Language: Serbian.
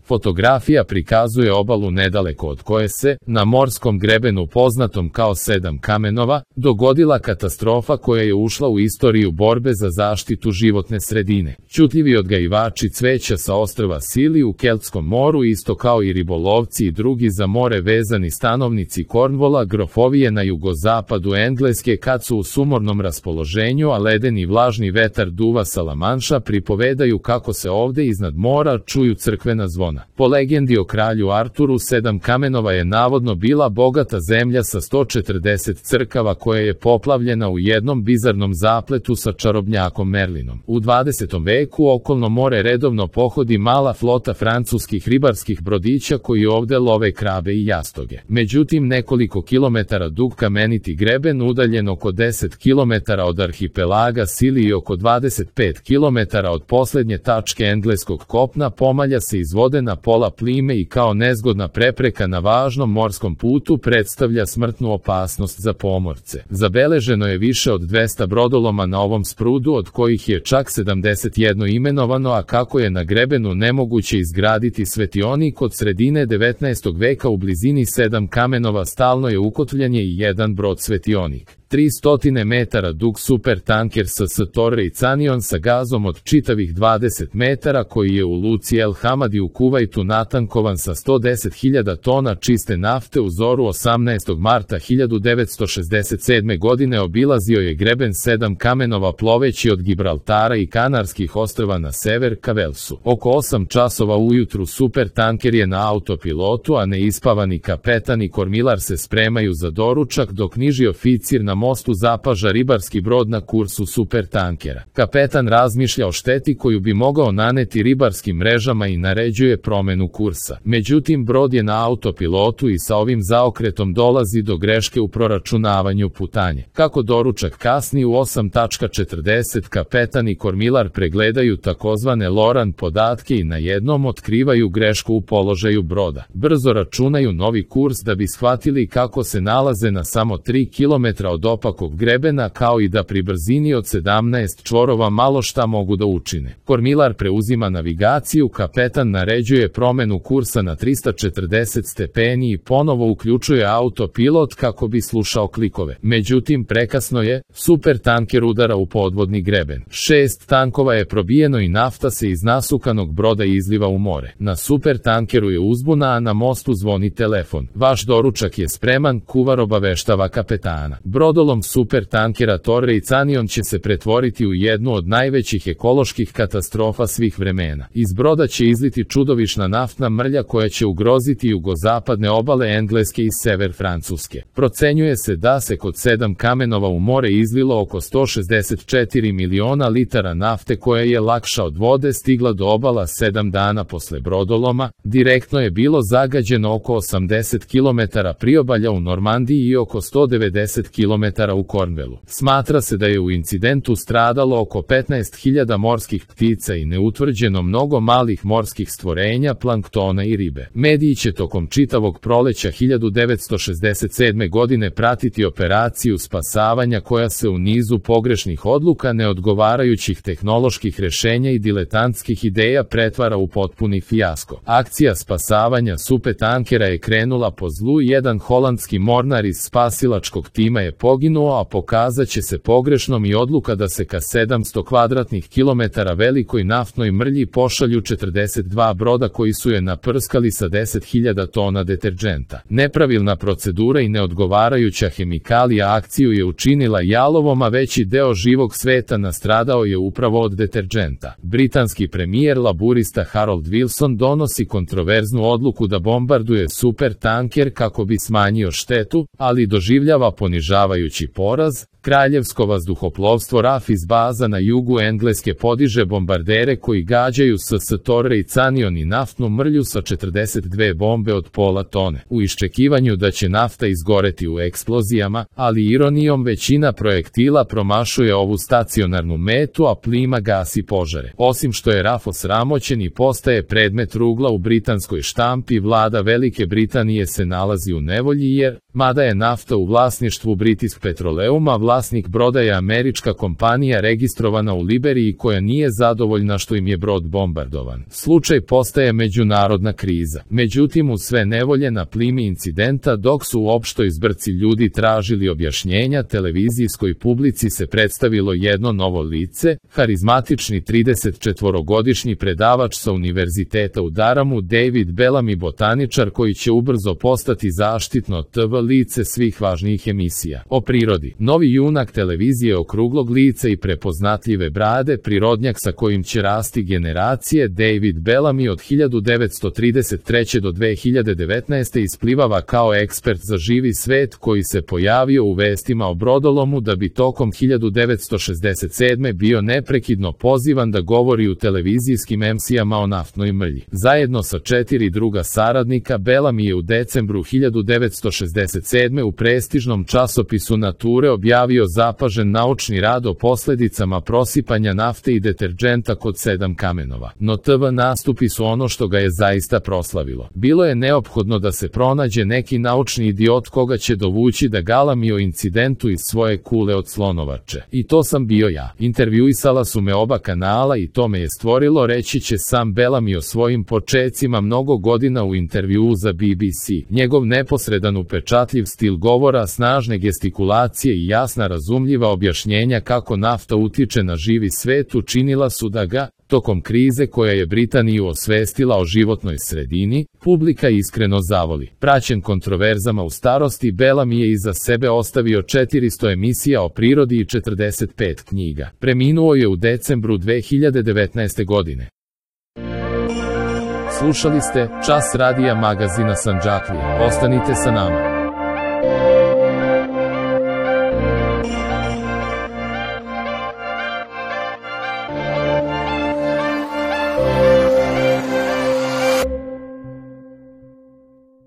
Fotografija prikazuje obalu nedaleko od koje se, na morskom grebenu poznatom kao Sedam kamenova, dogodila katastrofa koja je ušla u istoriju borbe za zaštitu životne sredine. Ćutljivi odgajivači cveća sa ostrva Scilly u Keltskom moru, isto kao i ribolovci i drugi za more vezani stanovnici Cornwalla, grofovije na jugozapadu Engleske, kad su u sumornom raspoloženju, a ledeni vlažni vetar duva sa Lamanša, pripovedaju kako se ovde iznad mora čuju crkvena zvona. Po legendi o kralju Arturu, Sedam kamenova je navodno bila bogata zemlja sa 140 crkava koja je poplavljena u jednom bizarnom zapletu sa čarobnjakom Merlinom. U 20. veku okolno more redovno pohodi mala flota francuskih ribarskih brodića koji ovde love krabe i jastoge. Međutim, nekoliko kilometara dug kameniti greben, udaljen oko 10 kilometara od arhipelaga Scilly i oko 25 kilometara od poslednje tačke engleskog kopna, pomalja se iz vode na pola plime i kao nezgodna prepreka na važnom morskom putu predstavlja smrtnu opasnost za pomorce. Zabeleženo je više od 200 brodoloma na ovom sprudu, od kojih je čak 71 imenovano, a kako je na grebenu nemoguće izgraditi svetionik od sredine 19. veka u blizini Sedam kamenova stalno je ukotvljanje i jedan brod svetionik. 300 metara dug supertanker SS Torrey Canyon sa gazom od čitavih 20 metara koji je u luci El Hamadi u Kuvajtu natankovan sa 110.000 tona čiste nafte u zoru 18. marta 1967. godine obilazio je greben Sedam kamenova ploveći od Gibraltara i Kanarskih ostrva na sever ka Velsu. Oko 8 časova ujutru supertanker je na autopilotu, a neispavani kapetan i kormilar se spremaju za doručak dok niži oficir na mostu zapaža ribarski brod na kursu supertankera. Kapetan razmišlja o šteti koju bi mogao naneti ribarskim mrežama i naređuje promenu kursa. Međutim, brod je na autopilotu i sa ovim zaokretom dolazi do greške u proračunavanju putanje. Kako doručak kasni u 8:40, kapetan i kormilar pregledaju takozvane Loran podatke i na jednom otkrivaju grešku u položaju broda. Brzo računaju novi kurs da bi shvatili kako se nalaze na samo 3 km od opakog grebena, kao i da pri brzini od 17 čvorova malo šta mogu da učine. Kormilar preuzima navigaciju, kapetan naređuje promenu kursa na 340 stepeni i ponovo uključuje autopilot kako bi slušao klikove. Međutim, prekasno je, supertanker udara u podvodni greben. 6 tankova je probijeno i nafta se iz nasukanog broda izliva u more. Na supertankeru je uzbuna, a na mostu zvoni telefon. Vaš doručak je spreman, kuvar obaveštava kapetana. Brodolom supertankera Torrey Canyon će se pretvoriti u jednu od najvećih ekoloških katastrofa svih vremena. Iz broda će izliti čudovišna naftna mrlja koja će ugroziti jugozapadne obale Engleske i sever Francuske. Procenjuje se da se kod Sedam kamenova u more izlilo oko 164 miliona litara nafte koja je lakša od vode stigla do obala 7 dana posle brodoloma. Direktno je bilo zagađeno oko 80 km priobalja u Normandiji i oko 190 km u Cornwallu. Smatra se da je u incidentu stradalo oko 15.000 morskih ptica i neutvrđeno mnogo malih morskih stvorenja, planktona i ribe. Mediji će tokom čitavog proleća 1967. godine pratiti operaciju spasavanja koja se u nizu pogrešnih odluka, neodgovarajućih tehnoloških rešenja i diletantskih ideja pretvara u potpuni fijasko. Akcija spasavanja supertankera je krenula po zlu, jedan holandski mornar iz spasilačkog tima je poginuo, a pokazat će se pogrešnom i odluka da se ka 700 kvadratnih kilometara velikoj naftnoj mrlji pošalju 42 broda koji su je naprskali sa 10.000 tona deterđenta. Nepravilna procedura i neodgovarajuća hemikalija akciju je učinila jalovom, a veći deo živog sveta nastradao je upravo od deterđenta. Britanski premijer laburista Harold Wilson donosi kontroverznu odluku da bombarduje supertanker kako bi smanjio štetu, ali doživljava ponižavajući poraz. Kraljevsko vazduhoplovstvo RAF iz baza na jugu Engleske podiže bombardere koji gađaju SS Torrey Canyon i naftnu mrlju sa 42 bombe od pola tone, u iščekivanju da će nafta izgoreti u eksplozijama, ali ironijom većina projektila promašuje ovu stacionarnu metu, a plima gasi požare. Osim što je RAF osramoćen i postaje predmet rugla u britanskoj štampi, vlada Velike Britanije se nalazi u nevolji jer, mada je nafta u vlasništvu British Petroleuma, vlasnik broda je američka kompanija registrovana u Liberiji koja nije zadovoljna što im je brod bombardovan. Slučaj postaje međunarodna kriza. Međutim, u sve nevolje na plimi incidenta, dok su u opštoj zbrci ljudi tražili objašnjenja, televizijskoj publici se predstavilo jedno novo lice, harizmatični 34-godišnji predavač sa univerziteta u Daramu, David Bellamy, botaničar koji će ubrzo postati zaštitno TV lice svih važnijih emisija o prirodi. Novi junak televizije okruglog lica i prepoznatljive brade, prirodnjak sa kojim će rasti generacije, David Bellamy od 1933. do 2019. isplivava kao ekspert za živi svet koji se pojavio u vestima o brodolomu da bi tokom 1967. bio neprekidno pozivan da govori u televizijskim emisijama o naftnoj mrlji. Zajedno sa 4 druga saradnika, Bellamy je u decembru 1967. u prestižnom časopisu Nature objavio zapažen naučni rad o posledicama prosipanja nafte i deterdženta kod 7 kamenova. No TV nastupi su ono što ga je zaista proslavilo. Bilo je neophodno da se pronađe neki naučni idiot koga će dovući da galami o incidentu iz svoje kule od slonovače. I to sam bio ja. Intervjuisala su me oba kanala i to me je stvorilo, reći će sam Bellamy o svojim počecima mnogo godina u intervjuu za BBC. Njegov neposredan upečatljiv stil govora, snažne gestikulacije i jasna razumljiva objašnjenja kako nafta utiče na živi svet učinila su da ga, tokom krize koja je Britaniju osvestila o životnoj sredini, publika iskreno zavoli. Praćen kontroverzama u starosti, Bellamy je iza sebe ostavio 400 emisija o prirodi i 45 knjiga. Preminuo je u decembru 2019. godine. Slušali ste Čas radija magazina Sandžaklija. Ostanite sa nama.